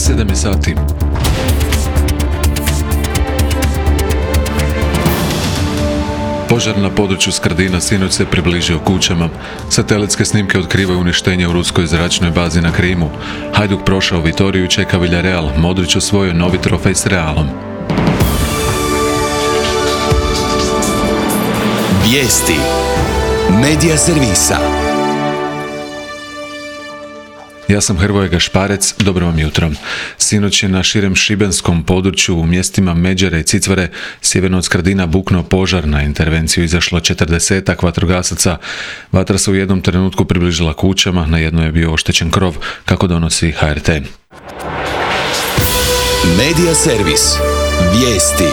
7 je sati. Požar na području Skradina sinoć se približio kućama. Satelitske snimke otkrivaju uništenje u ruskoj zračnoj bazi na Krimu. Hajduk prošao Vitoriju i čeka Villarreal. Modrić osvojio novi trofej s Realom. Vijesti Medija servisa. Ja sam Hrvoje Gašparec, dobro vam jutro. Sinoć je na širem šibenskom području u mjestima Međere i Cicvare sjeverno od Skradina buknuo požar. Na intervenciju izašlo 40 vatrogasaca. Vatra se u jednom trenutku približila kućama, na jednoj je bio oštećen krov, kako donosi HRT. Medija servis. Vijesti.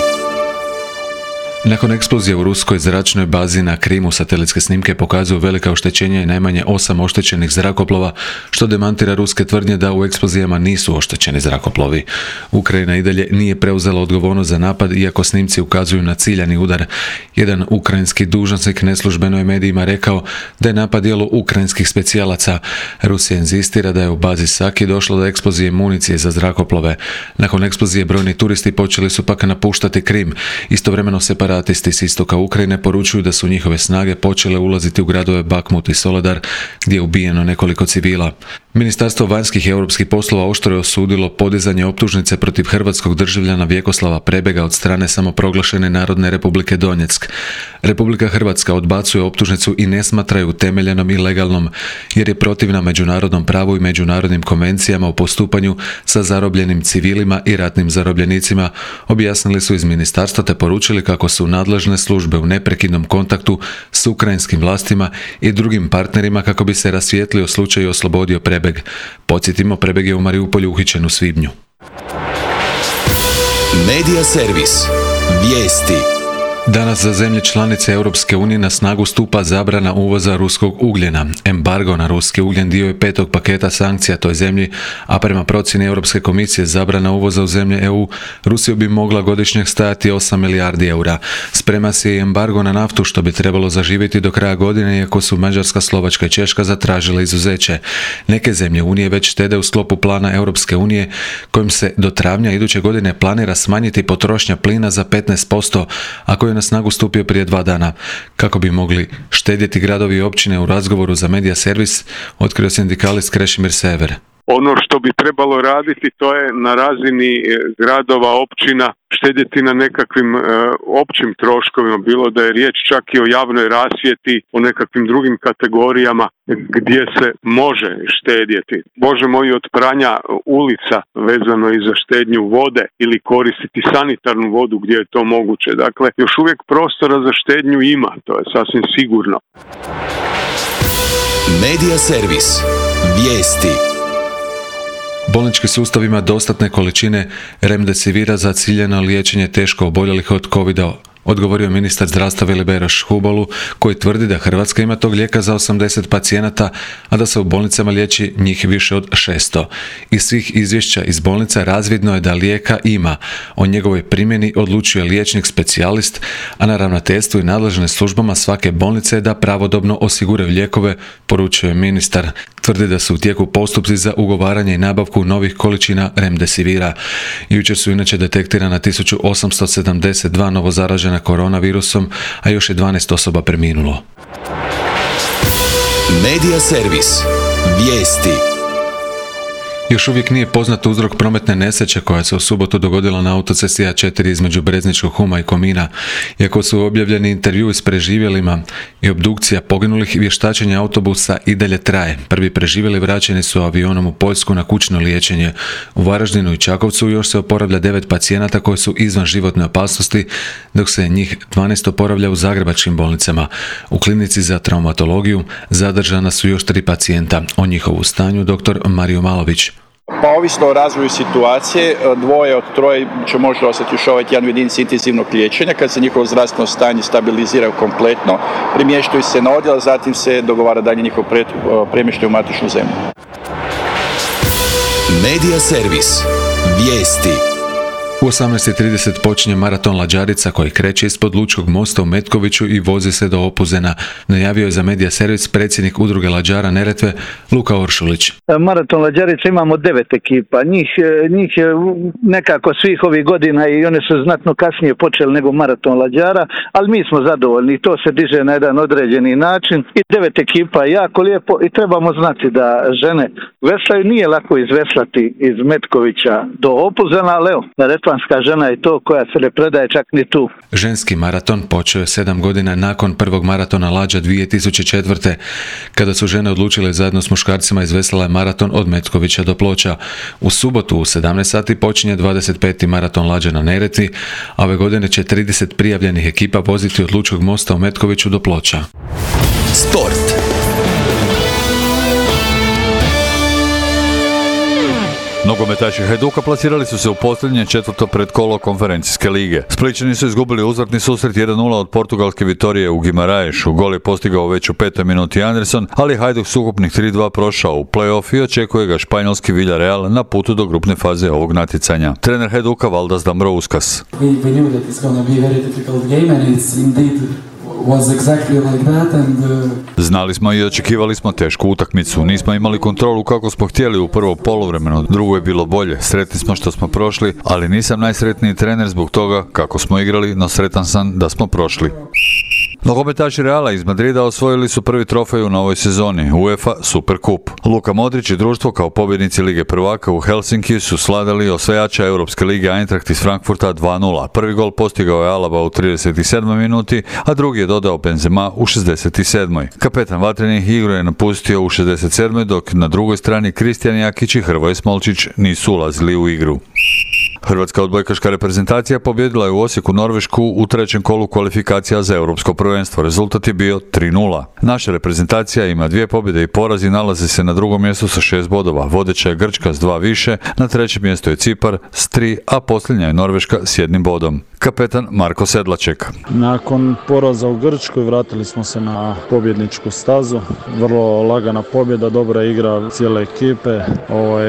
Nakon eksplozije u ruskoj zračnoj bazi na Krimu, satelitske snimke pokazuju velika oštećenja i najmanje 8 oštećenih zrakoplova, što demantira ruske tvrdnje da u eksplozijama nisu oštećeni zrakoplovi. Ukrajina i dalje nije preuzela odgovornost za napad, iako snimci ukazuju na ciljani udar. Jedan ukrajinski dužnosnik neslužbeno je medijima rekao da je napad djelo ukrajinskih specijalaca. Rusija inzistira da je u bazi Saki došlo do eksplozije municije za zrakoplove. Nakon eksplozije brojni turisti počeli su pak napuštati Krim. Istovremeno separatisti s istoka Ukrajine poručuju da su njihove snage počele ulaziti u gradove Bakmut i Soledar, gdje je ubijeno nekoliko civila. Ministarstvo vanjskih i europskih poslova oštro je osudilo podizanje optužnice protiv hrvatskog državljana Vjekoslava Prebega od strane samoproglašene Narodne Republike Donjeck. Republika Hrvatska odbacuje optužnicu i ne smatra ju utemeljenom i legalnom, jer je protivna međunarodnom pravu i međunarodnim konvencijama o postupanju sa zarobljenim civilima i ratnim zarobljenicima, objasnili su iz ministarstva te poručili kako su nadležne službe u neprekidnom kontaktu s ukrajinskim vlastima i drugim partnerima kako bi se rasvijetlio slučaj i oslobodio Prebeg. Podsjetimo, Prebeg je u Mariupolju uhićen u svibnju. Medija servis. Vijesti. Danas za zemlje članice Europske unije na snagu stupa zabrana uvoza ruskog ugljena. Embargo na ruski ugljen dio je 5. paketa sankcija toj zemlji, a prema procjeni Europske komisije zabrana uvoza u zemlje EU Rusiju bi mogla godišnje stajati 8 milijardi eura. Sprema se i embargo na naftu, što bi trebalo zaživjeti do kraja godine, iako su Mađarska, Slovačka i Češka zatražile izuzeće. Neke zemlje Unije već štede u sklopu plana Europske unije, kojim se do travnja iduće godine planira smanjiti potrošnja plina za 15%, a koji je na snagu stupio prije 2 dana. Kako bi mogli štedjeti gradovi i općine, u razgovoru za Medija servis otkrio sindikalist Krešimir Sever. Ono što bi trebalo raditi, to je na razini gradova, općina, štedjeti na nekakvim općim troškovima, bilo da je riječ čak i o javnoj rasvjeti, o nekakvim drugim kategorijama gdje se može štedjeti. Možemo i od pranja ulica vezano i za štednju vode ili koristiti sanitarnu vodu gdje je to moguće. Dakle, još uvijek prostora za štednju ima, to je sasvim sigurno. Medija servis. Vijesti. Bolnički sustav ima dostatne količine remdesivira za ciljano liječenje teško oboljelih od covida, odgovorio ministar zdravstva Vili Beroš Hubolu, koji tvrdi da Hrvatska ima tog lijeka za 80 pacijenata, a da se u bolnicama liječi njih više od 600. Iz svih izvješća iz bolnica razvidno je da lijeka ima. O njegovoj primjeni odlučuje liječnik specijalist, a na ravnateljstvu i nadležnim službama svake bolnice je da pravodobno osiguraju lijekove, poručuje ministar. Tvrdi da su u tijeku postupci za ugovaranje i nabavku novih količina remdesivira. Jučer su inače detektirana 1872 novozaražena koronavirusom, a još je 12 osoba preminulo. Medija servis. Vijesti. Još uvijek nije poznat uzrok prometne nesreće koja se u subotu dogodila na autocesti A4 između Brezničkog Huma i Komina. Iako su objavljeni intervjui s preživjelima i obdukcija poginulih, vještačenje autobusa i dalje traje. Prvi preživjeli vraćeni su avionom u Poljsku na kućno liječenje. U Varaždinu i Čakovcu još se oporavlja 9 pacijenata koji su izvan životne opasnosti, dok se njih 12 oporavlja u zagrebačkim bolnicama. U klinici za traumatologiju zadržana su još 3 pacijenta. O njihovu stanju dr. Mario Malović. Pa ovisno o razvoju situacije, 2 od 3 će možda ostati još ovaj tjedan u jedinici intenzivnog liječenja. Kad se njihovo zdravstveno stanje stabilizira kompletno, premještaju se na odjel, zatim se dogovara dalje njihov premještaj u matičnu zemlju. Medija servis. Vijesti. U 18:30 počinje maraton Lađarica koji kreće ispod Lučkog mosta u Metkoviću i vozi se do Opuzena. Najavio je za Medija servis predsjednik udruge Lađara Neretve Luka Oršulić. Maraton Lađarica imamo 9 ekipa. Njih je nekako svih ovih godina i one su znatno kasnije počeli nego maraton Lađara, ali mi smo zadovoljni. To se diže na jedan određeni način i 9 ekipa je jako lijepo i trebamo znati da žene veslaju. Nije lako izveslati iz Metkovića do Opuzena, ali evo, neretvanska žena je to koja se ne predaje čak ni tu. Ženski maraton počeo je 7 godina nakon prvog maratona Lađa 2004. Kada su žene odlučile zajedno s muškarcima izveslala maraton od Metkovića do Ploča. U subotu u 17 sati počinje 25. maraton Lađa na Neretvi, a ove godine će 30 prijavljenih ekipa voziti od Lučkog mosta u Metkoviću do Ploča. Sport. Nogometaši Hajduka plasirali su se u posljednje četvrto predkolo konferencijske lige. Splićani su izgubili uzvratni susret 1:0 od portugalske Vitorije u Gimaraješu. Gol je postigao već u 5. minuti Anderson, ali Hajduk s ukupnih 3:2 prošao u play-off i očekuje ga španjolski Villarreal na putu do grupne faze ovog natjecanja. Trener Hajduka Valdas Dambrauskas. We knew that it's going to be a very difficult game and it's indeed was exactly like that and Znali smo i očekivali smo tešku utakmicu. Nismo imali kontrolu kako smo htjeli u prvo poluvremenu. Drugo je bilo bolje. Sretni smo što smo prošli, ali nisam najsretniji trener zbog toga kako smo igrali, no sretan sam da smo prošli. Nogometaši Reala iz Madrida osvojili su prvi trofej u novoj sezoni, UEFA Super Kup. Luka Modrić i društvo kao pobjednici Lige prvaka u Helsinkiju su slavili osvajača Europske lige Eintracht iz Frankfurta 2:0. Prvi gol postigao je Alaba u 37. minuti, a drugi je dodao Benzema u 67. Kapetan vatrenih igru je napustio u 67. dok na drugoj strani Kristijan Jakić i Hrvoje Smolčić nisu ulazili u igru. Hrvatska odbojkaška reprezentacija pobjedila je u Osijeku Norvešku u trećem kolu kvalifikacija za europsko prvenstvo. Rezultat je bio 3:0. Naša reprezentacija ima 2 pobjede i poraz i nalazi se na drugom mjestu sa 6 bodova. Vodeća je Grčka s 2 više, na trećem mjestu je Cipar s 3, a posljednja je Norveška s 1 bodom. Kapetan Marko Sedlaček. Nakon poraza u Grčkoj vratili smo se na pobjedničku stazu. Vrlo lagana pobjeda, dobra igra cijele ekipe.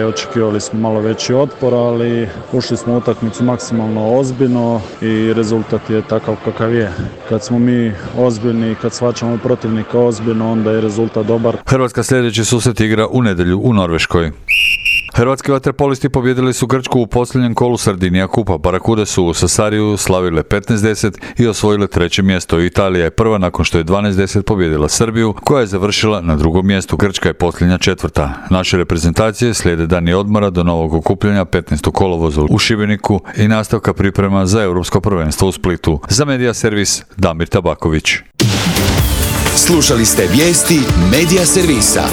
Očekivali smo malo veći otpor, ali ušli smo u utakmicu maksimalno ozbiljno i rezultat je takav kakav je. Kad smo mi ozbiljni, kad shvaćamo protivnika ozbiljno, onda je rezultat dobar. Hrvatska sljedeći susret igra u nedjelju u Norveškoj. Hrvatski vaterpolisti pobjedili su Grčku u posljednjem kolu Sardinija kupa. Barakude su u Sasariju slavile 15:10 i osvojile treće mjesto. Italija je prva nakon što je 12:10 pobjedila Srbiju, koja je završila na drugom mjestu. Grčka je posljednja četvrta. Naše reprezentacije slijede dani odmora do novog okupljanja 15. kolovoza u Šibeniku i nastavka priprema za europsko prvenstvo u Splitu. Za Medija servis Damir Tabaković. Slušali ste vijesti Medija servisa.